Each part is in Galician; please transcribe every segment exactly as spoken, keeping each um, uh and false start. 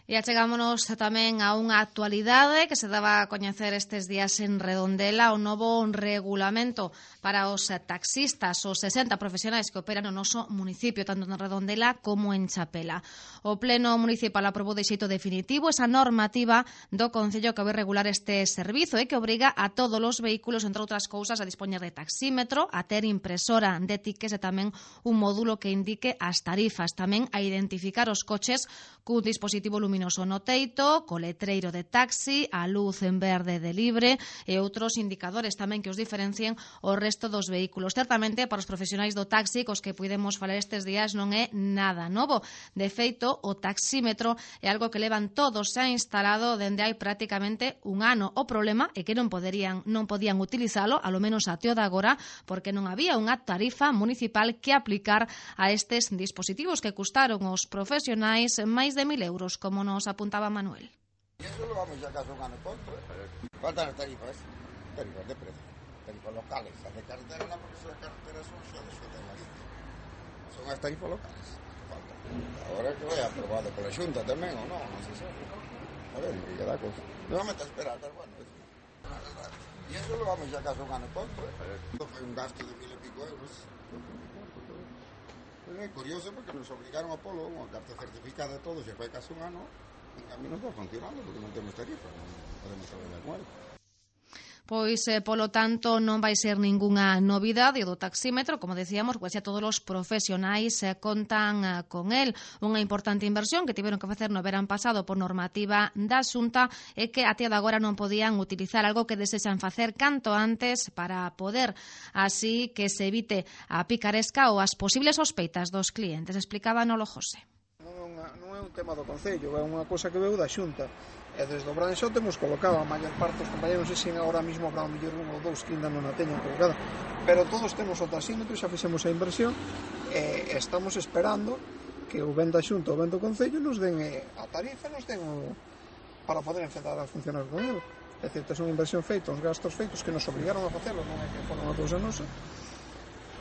E achegámonos tamén a unha actualidade que se daba a coñecer estes días en Redondela, o novo regulamento para os taxistas, os sesenta profesionais que operan no noso municipio, tanto en Redondela como en Chapela. O Pleno Municipal aprobou de xeito definitivo esa normativa do Concello que vai regular este servizo e que obriga a todos os vehículos, entre outras cousas, a dispoñer de taxímetro, a ter impresora de tickets e tamén un módulo que indique as tarifas, tamén a identificar os coches cun dispositivo luminoso no teito, co letreiro de taxi, a luz en verde de libre e outros indicadores tamén que os diferencien o resto dos vehículos. Certamente, para os profesionais do taxi, cos que puidemos falar estes días, non é nada novo. De feito, o taxímetro é algo que levan todos xa instalado dende hai prácticamente un ano. O problema é que non poderían, non podían utilizalo, alo menos até o de agora, porque non había unha tarifa municipal que aplicar a estes dispositivos que custaron aos profesionais máis de mil euros, como nos apuntaba Manuel. Y eso lo vamos ya casi un año corto. Faltan las tarifas, tarifas de precio, tarifas locales. Las de carretera no, porque son de carretera son solo de son las tarifas locales. Faltan. Ahora que vaya aprobado por la Junta también, o no, no sé si. A ver, que da cosa. Nuevamente a esperar, pero bueno. Y eso lo vamos ya casi un año corto. Fue un gasto de mil y pico euros. É curioso porque nos obligaron a polo unha carta certificada de todo, se foi casi un ano e a mí non está funcionando porque non temos tarifa, non podemos trabalhar con él. Pois, eh, polo tanto, non vai ser ningunha novidade do taxímetro, como decíamos, pois xa todos os profesionais eh, contan eh, con el. Unha importante inversión que tiveron que facer no verán pasado por normativa da Xunta e que até de agora non podían utilizar, algo que desexan facer canto antes para poder así que se evite a picaresca ou as posibles sospeitas dos clientes. Explicaba Nolo José. Non, non é un tema do Concello, é unha cosa que veu da Xunta. E desde o Branxo temos colocado a maior parte dos compañeros, non sei se agora mesmo habrá un mellor un ou dous que ainda non a teñan colocada, pero todos temos o taxímetro, xa fixemos a inversión e estamos esperando que o ben da Xunta ou ben do Concello nos den a tarifa, nos den o, para poder empezar a funcionar con ele. É dicir, é unha inversión feita, uns gastos feitos que nos obrigaron a facelo, non é que for unha cousa nosa,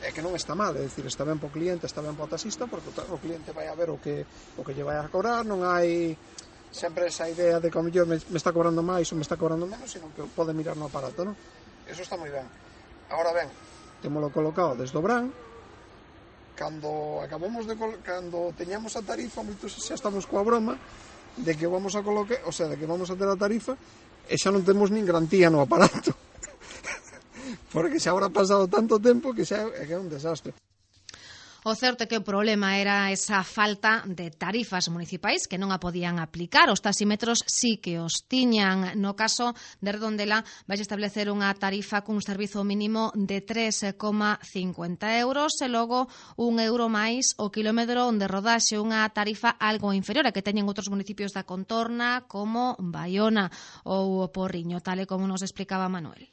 é que non está mal, é dicir, está ben para o cliente, está ben para o taxista, porque o cliente vai a ver o que o que lle vai a cobrar, non hai sempre esa idea de que o mellor me, me está cobrando máis ou me está cobrando menos, sino que pode mirar no aparato, non? Eso está moi ben. Agora ben, temolo colocado desde o Bran, cando acabamos de cando teñamos a tarifa, moitos xa estamos coa broma de que vamos a colocar, o sea, de que vamos a ter a tarifa e xa non temos nin garantía no aparato. Porque xa habrá pasado tanto tempo que xa é que é un desastre. O certo é que o problema era esa falta de tarifas municipais que non a podían aplicar. Os taxímetros sí que os tiñan. No caso de Redondela vai establecer unha tarifa cun servizo mínimo de tres coma cincuenta euros e logo un euro máis o kilómetro de rodaxe, unha tarifa algo inferior a que teñen outros municipios da contorna como Baiona ou Porriño, tal e como nos explicaba Manuel.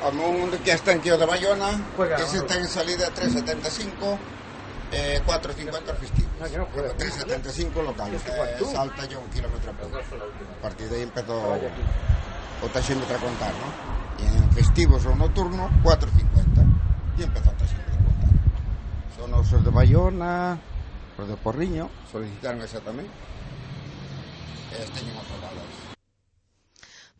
A mundo que está en Quio de Bayona, que se está en salida tres setenta e cinco, eh, cuatro cincuenta festivo. tres setenta e cinco local, eh, salta ya un kilómetro a poco. A partir de ahí empezó o taxímetro a contar, ¿no? Y en festivos o nocturno, cuatro cincuenta. Y empezó o taxímetro a contar. Son os de Bayona, os de Porriño, solicitaron esa tamén. E teñen aprobadas.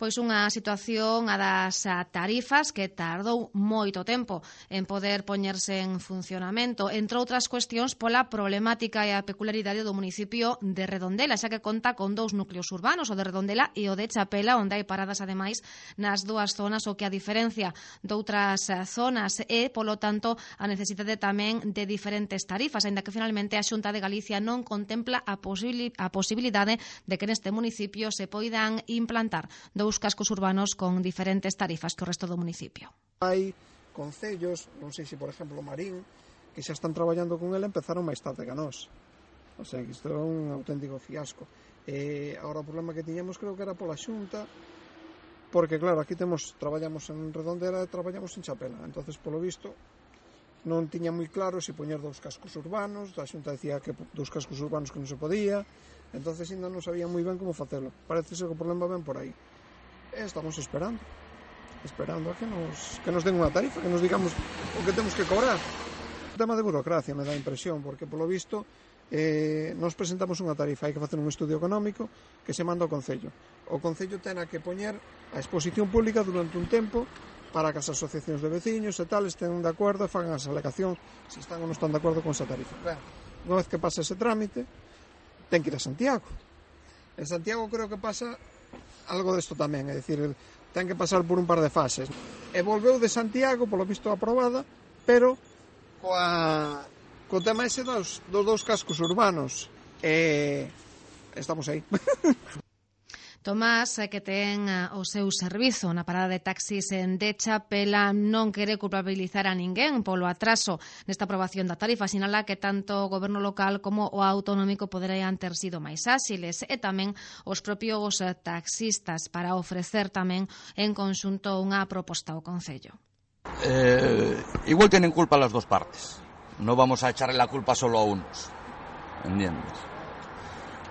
Pois unha situación a das tarifas que tardou moito tempo en poder poñerse en funcionamento, entre outras cuestións pola problemática e a peculiaridade do municipio de Redondela, xa que conta con dous núcleos urbanos, o de Redondela e o de Chapela, onde hai paradas ademais nas dúas zonas, o que a diferencia doutras zonas é, polo tanto, a necesidade tamén de diferentes tarifas, aínda que finalmente a Xunta de Galicia non contempla a, posibili- a posibilidade de que neste municipio se poidan implantar dous os cascos urbanos con diferentes tarifas que o resto do municipio. Hai concellos, non sei se por exemplo Marín, que xa están traballando con ele, empezaron máis tarde que nós. O sea, que isto é un auténtico fiasco. E agora o problema que tiñamos creo que era pola Xunta, porque claro, aquí temos traballamos en Redondela e traballamos en Chapela. Entonces, polo visto, non tiña moi claro se poñer dous cascos urbanos, a Xunta decía que dous cascos urbanos que non se podía, entonces ainda non sabía moi ben como facelo. Parece ser que o problema ven por aí. E estamos esperando esperando a que nos, que nos den unha tarifa, que nos digamos o que temos que cobrar. O tema de burocracia me dá impresión, porque polo visto eh, nos presentamos unha tarifa, hai que facer un estudio económico que se manda ao Concello. O Concello ten que poñer a exposición pública durante un tempo para que as asociacións de veciños e tal estén de acordo e fagan as alegacións se están ou non están de acordo con esa tarifa. Ben, unha vez que pasa ese trámite, ten que ir a Santiago. En Santiago creo que pasa algo desto tamén, é dicir, ten que pasar por un par de fases. E volveu de Santiago, polo visto aprobada, pero coa, co tema ese dos, dos dous cascos urbanos. E estamos aí. Tomás, que ten o seu servizo na parada de taxis en de Chapela, non quere culpabilizar a ninguén polo atraso nesta aprobación da tarifa. Sinala que tanto o goberno local como o autonómico poderían ter sido máis áxiles e tamén os propios taxistas para ofrecer tamén en conxunto unha proposta ao Concello. Eh, igual tienen culpa las dos partes. No vamos a echarle la culpa solo a unos. ¿Entiendes?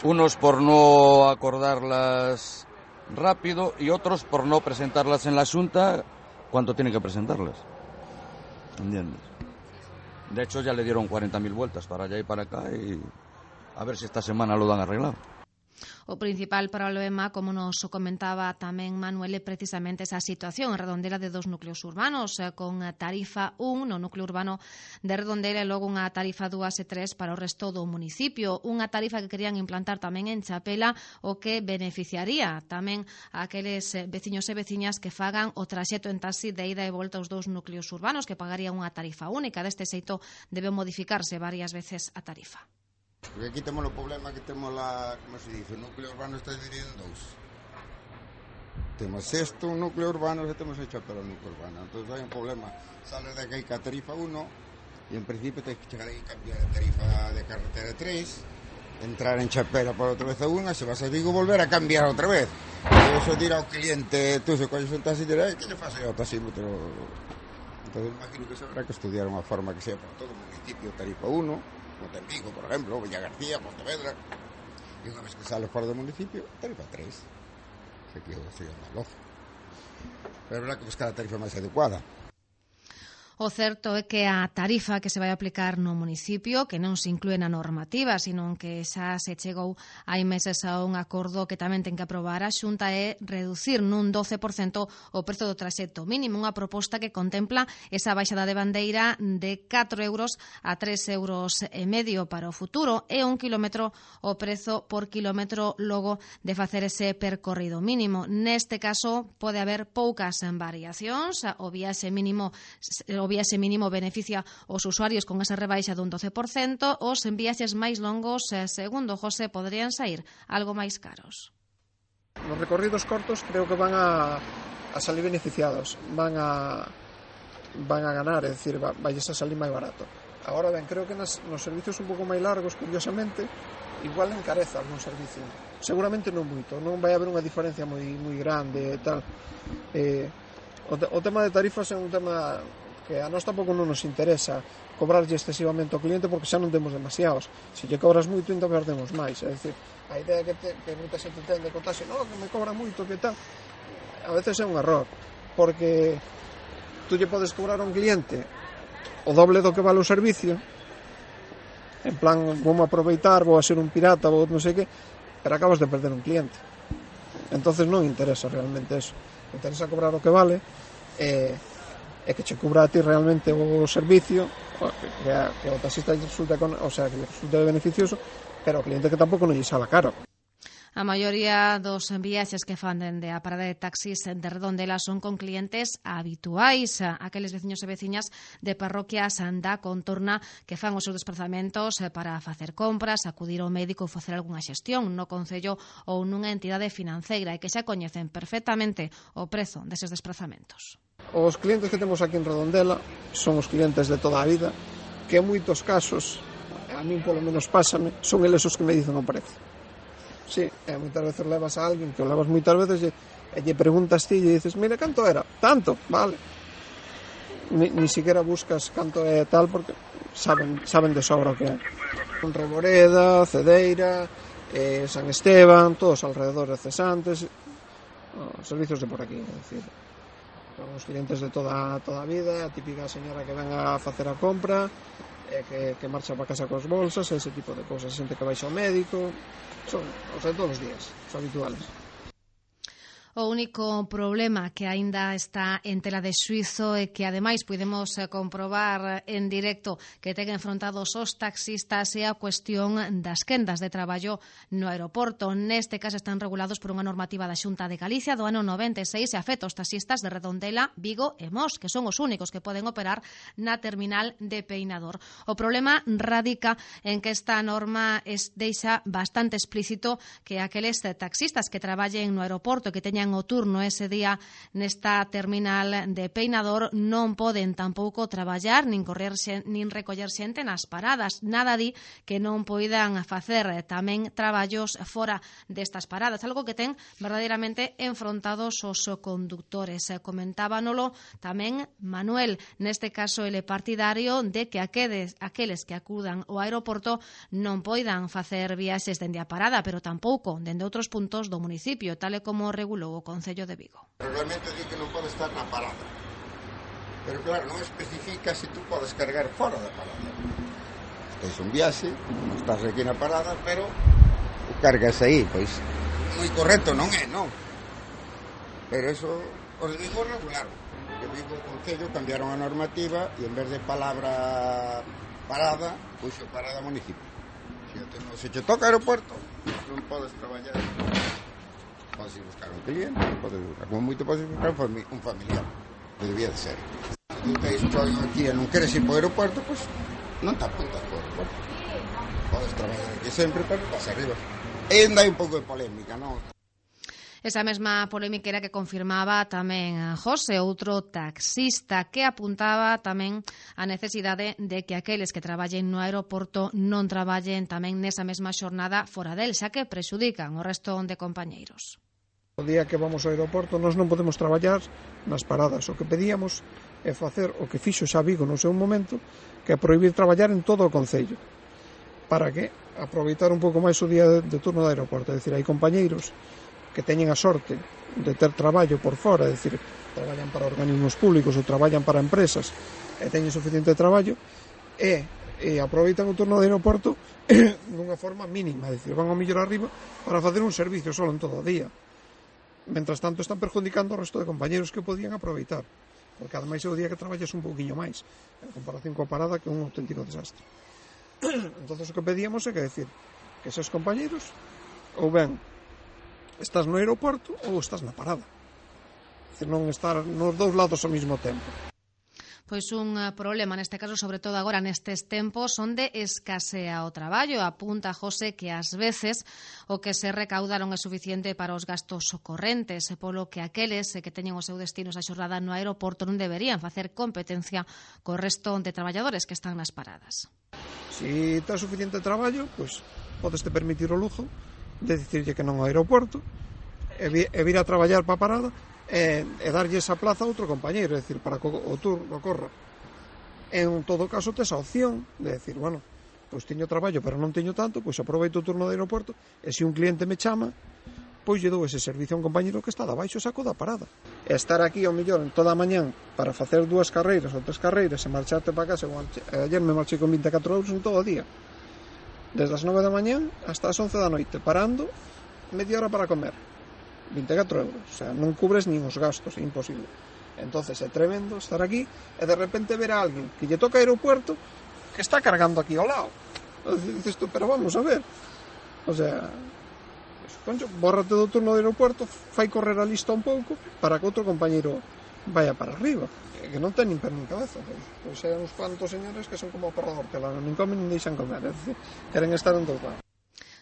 Unos por no acordarlas rápido y otros por no presentarlas en la Xunta cuando tienen que presentarlas. ¿Entiendes? De hecho ya le dieron cuarenta mil vueltas para allá y para acá y a ver si esta semana lo dan arreglado. O principal problema, como nos comentaba tamén Manuel, é precisamente esa situación en Redondela de dos núcleos urbanos, con tarifa un no núcleo urbano de Redondela e logo unha tarifa dúas e tres para o resto do municipio. Unha tarifa que querían implantar tamén en Chapela, o que beneficiaría tamén a aqueles veciños e veciñas que fagan o traxecto en taxi de ida e volta aos dous núcleos urbanos, que pagarían unha tarifa única. Deste xeito debe modificarse varias veces a tarifa. Porque aquí temos o problema que temos la, como se dice, o núcleo urbano está dividido en dous. Temos isto, un núcleo urbano, e temos hecho pelo núcleo urbano. Entón hai un problema. Sales de aquí ca tarifa uno e en principio tens que chegar aí e cambiar a tarifa de carretera tres, entrar en Chapela por outra vez a unha, se vas a Vigo volver a cambiar outra vez. E eso dirá ao cliente, tú se colles un taxi dirá, que lle faz ao taxímetro? Entón imagino que se habrá que estudiar unha forma que sea para todo o municipio tarifa uno, como ten Vigo, por exemplo, Villa García, Pontevedra, e unha vez que sale fora do municipio, tarifa tres. Se que sería unha loza. Pero é verdad que buscar a tarifa máis adecuada. O certo é que a tarifa que se vai aplicar no municipio, que non se inclúe na normativa, sino que xa se chegou hai meses a un acordo que tamén ten que aprobar a Xunta, é reducir nun doce por cento o prezo do traxecto mínimo, unha proposta que contempla esa baixada de bandeira de catro euros a tres euros e medio para o futuro e un kilómetro o prezo por kilómetro logo de facer ese percorrido mínimo. Neste caso pode haber poucas variacións, o viaxe mínimo o viaxe mínimo beneficia os usuarios con esa rebaixa dun doce por cento, os viaxes máis longos, segundo José, poderían sair algo máis caros. Nos recorridos cortos creo que van a, a salir beneficiados, van a van a ganar, é dicir, vai a salir máis barato. Agora ben, creo que nas, nos servicios un pouco máis largos, curiosamente, igual encareza algún servicio. Seguramente non moito, non vai haber unha diferencia moi moi grande e tal. Eh, o, te, o tema de tarifas é un tema que a nós tampouco non nos interesa cobrarlle excesivamente ao cliente porque xa non temos demasiados. Se lle cobras moito, entón perdemos máis. É dicir, a idea que, te, que moita xente ten de contarse, no, que me cobra moito, que tal, a veces é un error, porque tú lle podes cobrar a un cliente o doble do que vale o servicio, en plan, vou aproveitar, vou a ser un pirata, vou non sei que, pero acabas de perder un cliente. Entonces non interesa realmente eso. Interesa cobrar o que vale e, e que che cubra a ti realmente o servicio, que, que o taxista resulta, o sea, que resulta beneficioso, pero o cliente que tampouco non lle sala caro. A maioría dos viaxes que fan dende a parada de taxis de Redondela son con clientes habituais, aqueles veciños e veciñas de parroquias da contorna que fan os seus desplazamentos para facer compras, acudir ao médico ou facer algunha xestión no concello ou nunha entidade financeira e que xa coñecen perfectamente o prezo deses desplazamentos. Os clientes que temos aquí en Redondela son os clientes de toda a vida, que en moitos casos, a mí polo menos pásame, son eles os que me dicen o prezo. Sí, e moitas veces levas a alguén que o levas moitas veces e, e lle preguntas ti e dices, mira, canto era? Tanto, vale. Ni, ni siquiera buscas canto é tal porque saben, saben de sobra o que é. Reboreda, Cedeira, eh, San Esteban, todos alrededor de Cesantes, os servicios de por aquí, é dicir, son os clientes de toda, toda a vida, a típica señora que ven a facer a compra, e que, que marcha para casa cos bolsas, ese tipo de cosas, xente que baixa ao médico, son, o sea, todos os días, son habituales. O único problema que aínda está en tela de xuízo é que, ademais, podemos comprobar en directo que ten enfrontados os taxistas e a cuestión das quendas de traballo no aeroporto. Neste caso están regulados por unha normativa da Xunta de Galicia do ano noventa e seis e afecta aos taxistas de Redondela, Vigo e Mos, que son os únicos que poden operar na terminal de Peinador. O problema radica en que esta norma es, deixa bastante explícito que aqueles taxistas que traballen no aeroporto que teñan o turno ese día nesta terminal de Peinador non poden tampouco traballar nin correr nin recoller xente nas paradas. Nada di que non poidan facer tamén traballos fora destas paradas, algo que ten verdadeiramente enfrontados os conductores. Comentábanolo tamén Manuel, neste caso ele partidario de que aqueles, aqueles que acudan ao aeroporto non poidan facer viaxes dende a parada, pero tampouco dende outros puntos do municipio, tal e como regulou o Concello de Vigo. Realmente di que non pode estar na parada, pero claro, non especifica se tú podes cargar fora da parada. Tens un viaxe, non estás aquí na parada, pero o cargas aí, pois moi correcto non é, non? Pero eso os digo regular. Que Vigo o Concello cambiaron a normativa e en vez de palabra parada, puxo parada municipio. Se, te, se te toca aeropuerto, non podes traballar. Podes ir buscar un cliente, podes buscar, como moito podes buscar un familiar, que debía de ser. Se tú te estou aquí e non queres ir para o aeropuerto, pois non te apuntas para o aeropuerto. Podes trabalhar aquí sempre, pero vas arriba. E ainda hai un pouco de polémica, non? Esa mesma polémica era que confirmaba tamén José, outro taxista, que apuntaba tamén a necesidade de que aqueles que traballen no aeroporto non traballen tamén nesa mesma xornada fora del, xa que prexudican o resto de compañeiros. O día que vamos ao aeroporto nós non podemos traballar nas paradas. O que pedíamos é facer o que fixo xa Vigo no seu momento, que é prohibir traballar en todo o Concello, para que aproveitar un pouco máis o día de, de turno do aeroporto. É dicir, hai compañeiros que teñen a sorte de ter traballo por fora, é dicir, traballan para organismos públicos ou traballan para empresas e teñen suficiente traballo e, e aproveitan o turno do aeroporto dunha forma mínima, é dicir, van ao millor arriba para facer un servicio solo en todo o día. Mentras tanto están perjudicando o resto de compañeros que podían aproveitar, porque ademais é o día que traballas un pouquiño máis en comparación coa parada, que é un auténtico desastre. Entonces o que pedíamos é que decir que esos compañeros ou ben estás no aeroporto ou estás na parada, é dicir, non estar nos dous lados ao mesmo tempo. Pois un problema neste caso, sobre todo agora nestes tempos onde escasea o traballo. Apunta José que ás veces o que se recaudaron é suficiente para os gastos correntes, polo que aqueles que teñen o seu destino esa xornada no aeroporto non deberían facer competencia co resto de traballadores que están nas paradas. Si tens suficiente traballo, pois podes te permitir o lujo de dicirlle que non ao aeroporto e, vi, e vir a traballar para a parada e, e darlle esa plaza a outro compañeiro, é dicir, para que o turno corra. En todo caso, tes a opción de decir, bueno, pois teño traballo, pero non teño tanto, pois aproveito o turno do aeroporto e se un cliente me chama, pois lle dou ese servicio a un compañeiro que está de baixo saco da parada. E estar aquí ao millor en toda a mañán para facer dúas carreiras ou tres carreiras e marcharte para casa, ayer me marchei con vinte e catro euros en todo o día, desde as nove da mañán hasta as once da noite, parando media hora para comer, vinte e catro euros, o sea, non cubres nin os gastos, é imposible. Entonces é tremendo estar aquí e de repente ver a alguén que lle toca aeropuerto que está cargando aquí ao lado. Dices tú, pero vamos a ver, o sea, concho, bórrate do turno do aeropuerto, fai correr a lista un pouco para que outro compañeiro vaya para arriba, que non ten nin per nin cabeza. Pois, pois hai uns cuantos señores que son como o perro do hortelano, nin comen nin deixan comer, é dicir, queren estar en todo lado.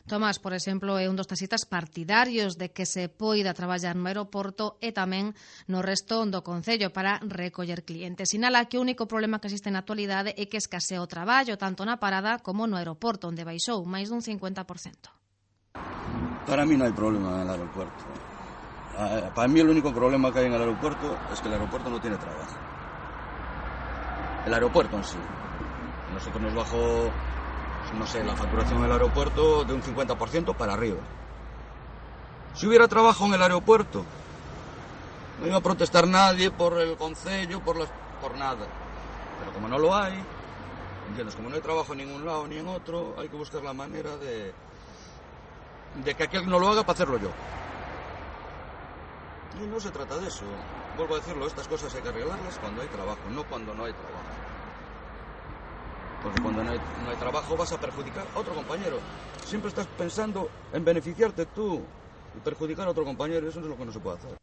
Tomás, por exemplo, é un dos taxistas partidarios de que se poida traballar no aeroporto e tamén no resto do Concello para recoller clientes. Sinala que o único problema que existe na actualidade é que escasea o traballo tanto na parada como no aeroporto, onde baixou máis dun cincuenta por cento. Para mí no hay problema en el aeropuerto. Para mí el único problema que hay en el aeropuerto es que el aeropuerto no tiene trabajo. El aeropuerto en sí. Nosotros nos bajó, no sé, la facturación del aeropuerto de un cincuenta por ciento para arriba. Si hubiera trabajo en el aeropuerto, no iba a protestar nadie por el concello, por, las, por nada. Pero como no lo hay, ¿Entiendes? Como no hay trabajo en ningún lado ni en otro, hay que buscar la manera de, de que aquel no lo haga para hacerlo yo. Y no se trata de eso. Vuelvo a decirlo, estas cosas hay que arreglarlas cuando hay trabajo, no cuando no hay trabajo. Porque cuando no hay, no hay trabajo vas a perjudicar a otro compañero. Siempre estás pensando en beneficiarte tú y perjudicar a otro compañero, y eso no es lo que no se puede hacer.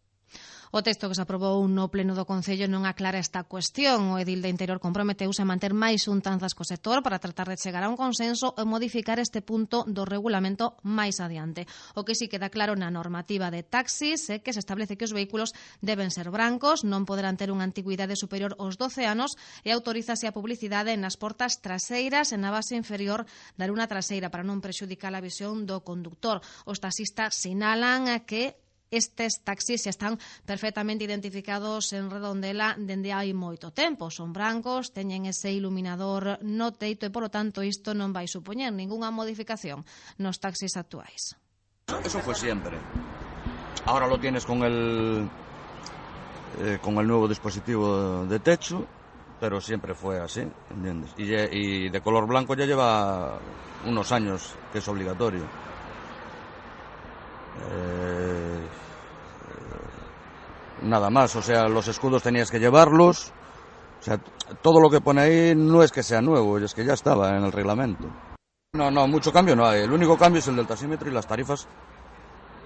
O texto que se aprobou no pleno do Concello non aclara esta cuestión. O edil de Interior comprometeuse a manter máis xuntanzas co sector para tratar de chegar a un consenso e modificar este punto do regulamento máis adiante. O que sí queda claro na normativa de taxis é que se establece que os vehículos deben ser brancos, non poderán ter unha antigüidade superior aos doce anos e autorízase a publicidade nas portas traseiras e na base inferior da luna traseira para non prexudicar a visión do conductor. Os taxistas sinalan que estes taxis xa están perfectamente identificados en Redondela dende hai moito tempo. Son brancos, teñen ese iluminador no teito e, polo tanto, isto non vai supoñer ningunha modificación nos taxis actuais. Eso fue siempre. Ahora lo tienes con el eh, con el nuevo dispositivo de techo, pero siempre fue así, ¿entiendes? Y, y de color blanco ya lleva unos años que es obligatorio. Eh, Nada más, o sea, los escudos tenías que llevarlos, o sea, todo lo que pone ahí no es que sea nuevo, es que ya estaba en el reglamento. No, no, mucho cambio no hay, el único cambio es el del taxímetro y las tarifas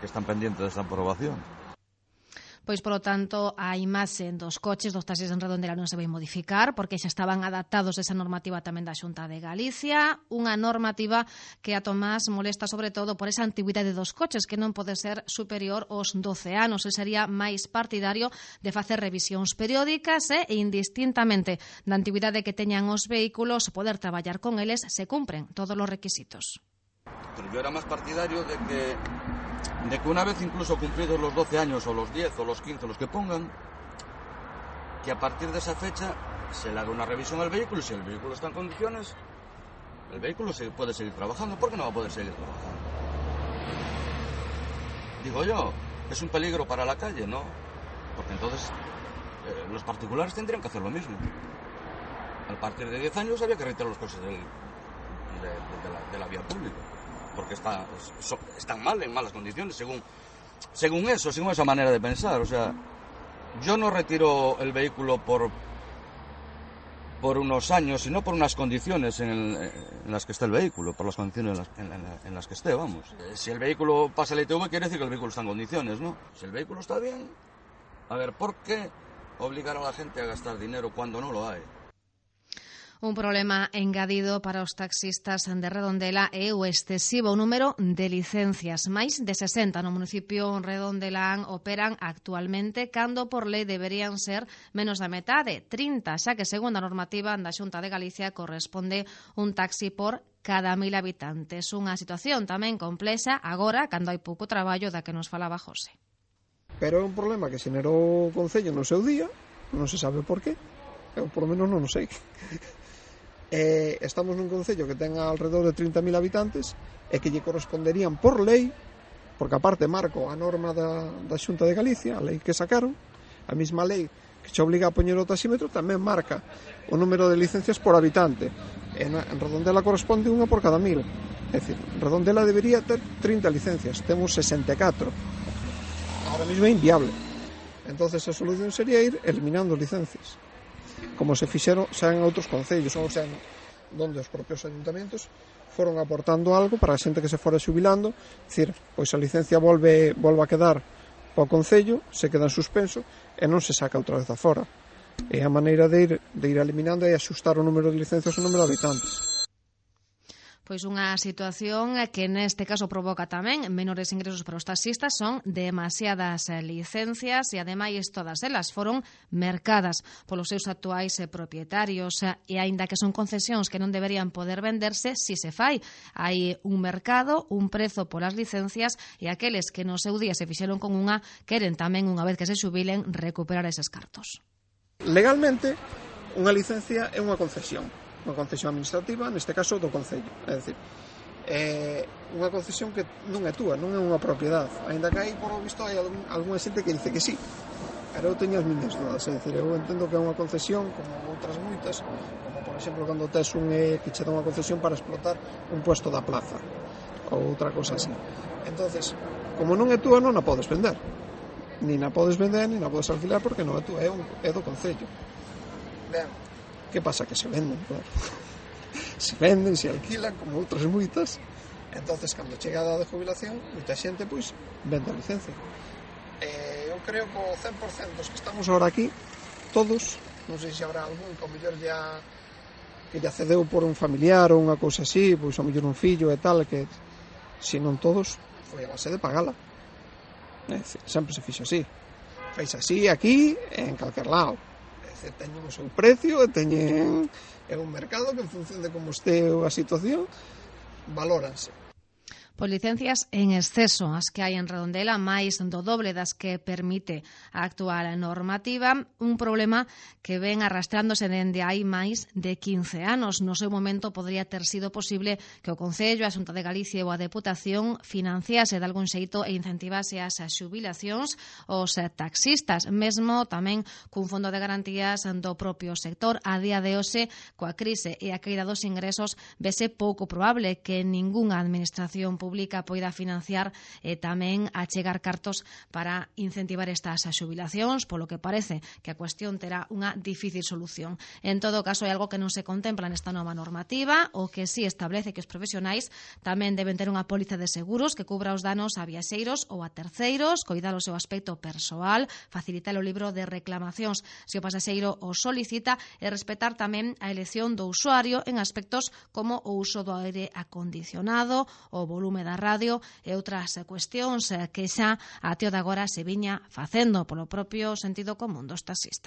que están pendientes de esta aprobación. Pois, polo tanto, a imaxe dos coches dos taxis en Redondela non se vai modificar porque xa estaban adaptados a esa normativa tamén da Xunta de Galicia, unha normativa que a Tomás molesta sobre todo por esa antigüidade dos coches que non pode ser superior aos doce anos. E sería máis partidario de facer revisións periódicas e indistintamente da antigüidade que teñan os vehículos poder traballar con eles se cumpren todos os requisitos. Pero yo era más partidario de que de que una vez incluso cumplidos los doce años o los diez o los quince, los que pongan, que a partir de esa fecha se le haga una revisión al vehículo y si el vehículo está en condiciones, el vehículo se puede seguir trabajando. ¿Por qué no va a poder seguir trabajando? Digo yo, es un peligro para la calle, ¿no? Porque entonces eh, los particulares tendrían que hacer lo mismo. A partir de diez años había que retirar los coches del, de, de, de, la, de la vía pública. Porque está, so, están mal, en malas condiciones, según, según eso, según esa manera de pensar. O sea, yo no retiro el vehículo por, por unos años, sino por unas condiciones en, el, en las que esté el vehículo, por las condiciones en las, en, en, en las que esté, vamos. Si el vehículo pasa el I T V, quiere decir que el vehículo está en condiciones, ¿no? Si el vehículo está bien, a ver, ¿por qué obligar a la gente a gastar dinero cuando no lo hay? Un problema engadido para os taxistas de Redondela é o excesivo número de licencias. Máis de sesenta no municipio Redondelán operan actualmente, cando por lei deberían ser menos da metade, trinta, xa que segundo a normativa da Xunta de Galicia corresponde un taxi por cada mil habitantes. Unha situación tamén complexa agora, cando hai pouco traballo da que nos falaba José. Pero é un problema que xenerou o Concello no seu día, non se sabe por qué, eu por lo menos non o sei. Eh, estamos nun concello que ten alrededor de trinta mil habitantes e que lle corresponderían por lei, porque aparte marco a norma da, da Xunta de Galicia, a lei que sacaron, a mesma lei que che obliga a poñer o taxímetro tamén marca o número de licencias por habitante. En, en Redondela corresponde unha por cada mil, é dicir, Redondela debería ter trinta licencias, temos sesenta e catro, ahora mesmo é inviable. Entonces a solución sería ir eliminando licencias, como se fixeron xa en outros concellos, ou xa donde os propios ayuntamentos foron aportando algo para a xente que se fora xubilando, dicir, pois a licencia volve, volve a quedar ao concello, se queda en suspenso e non se saca outra vez a fora. É a maneira de ir, de ir eliminando e axustar o número de licencias ao número de habitantes. Pois unha situación que neste caso provoca tamén menores ingresos para os taxistas, son demasiadas licencias e ademais todas elas foron mercadas polos seus actuais propietarios e aínda que son concesións que non deberían poder venderse, si se fai. Hai un mercado, un prezo polas licencias e aqueles que no seu día se fixeron con unha queren tamén, unha vez que se xubilen, recuperar eses cartos. Legalmente, unha licencia é unha concesión. Unha concesión administrativa, neste caso do Concello, é dicir, é unha concesión que non é túa, non é unha propiedade, aínda que aí, por lo visto, hai algún, algunha xente que dice que sí. pero eu teño as miñas dudas, é dicir, eu entendo que é unha concesión como outras moitas, como por exemplo cando tes un eh, que che dá unha concesión para explotar un puesto da plaza ou outra cosa así. Entonces, como non é túa, non a podes vender, nin a podes vender, nin a podes alquilar, porque non é túa, é, un, é do concello. Ben, que pasa? Que se venden, claro. Se venden, se alquilan, como outras moitas. Entonces, cando chega a edad de jubilación, moita xente, pois, vende a licencia. Eh, eu creo que o cen por cento dos que estamos ahora aquí, todos, non sei se habrá algún que ao mellor ya que lle accedeu por un familiar ou unha cousa así, pois ao mellor un fillo e tal, que se non todos, foi a base de pagala. É dicir, sempre se fixo así. Feix así aquí e en calquer lado. É dicir, teñen o seu precio e teñen é un mercado que en función de como este a situación valóranse. Pois licencias en exceso as que hai en Redondela, máis do doble das que permite a actual normativa, un problema que ven arrastrándose dende hai máis de quince anos. No seu momento podría ter sido posible que o Concello, a Xunta de Galicia ou a Deputación financiase de algún xeito e incentivase as xubilacións os taxistas, mesmo tamén cun fondo de garantías do propio sector. A día de hoxe, coa crise e a caída dos ingresos, vese pouco probable que ningunha administración pública pública poida financiar e tamén achegar cartos para incentivar estas xubilacións, polo que parece que a cuestión terá unha difícil solución. En todo caso, é algo que non se contempla nesta nova normativa, o que sí establece que os profesionais tamén deben ter unha póliza de seguros que cubra os danos a viaxeiros ou a terceiros, coidar o seu aspecto persoal, facilitar o libro de reclamacións se o pasaxeiro o solicita e respetar tamén a elección do usuario en aspectos como o uso do aire acondicionado, o volume da radio e outras cuestións que xa a tío de agora se viña facendo polo propio sentido común dos taxistas.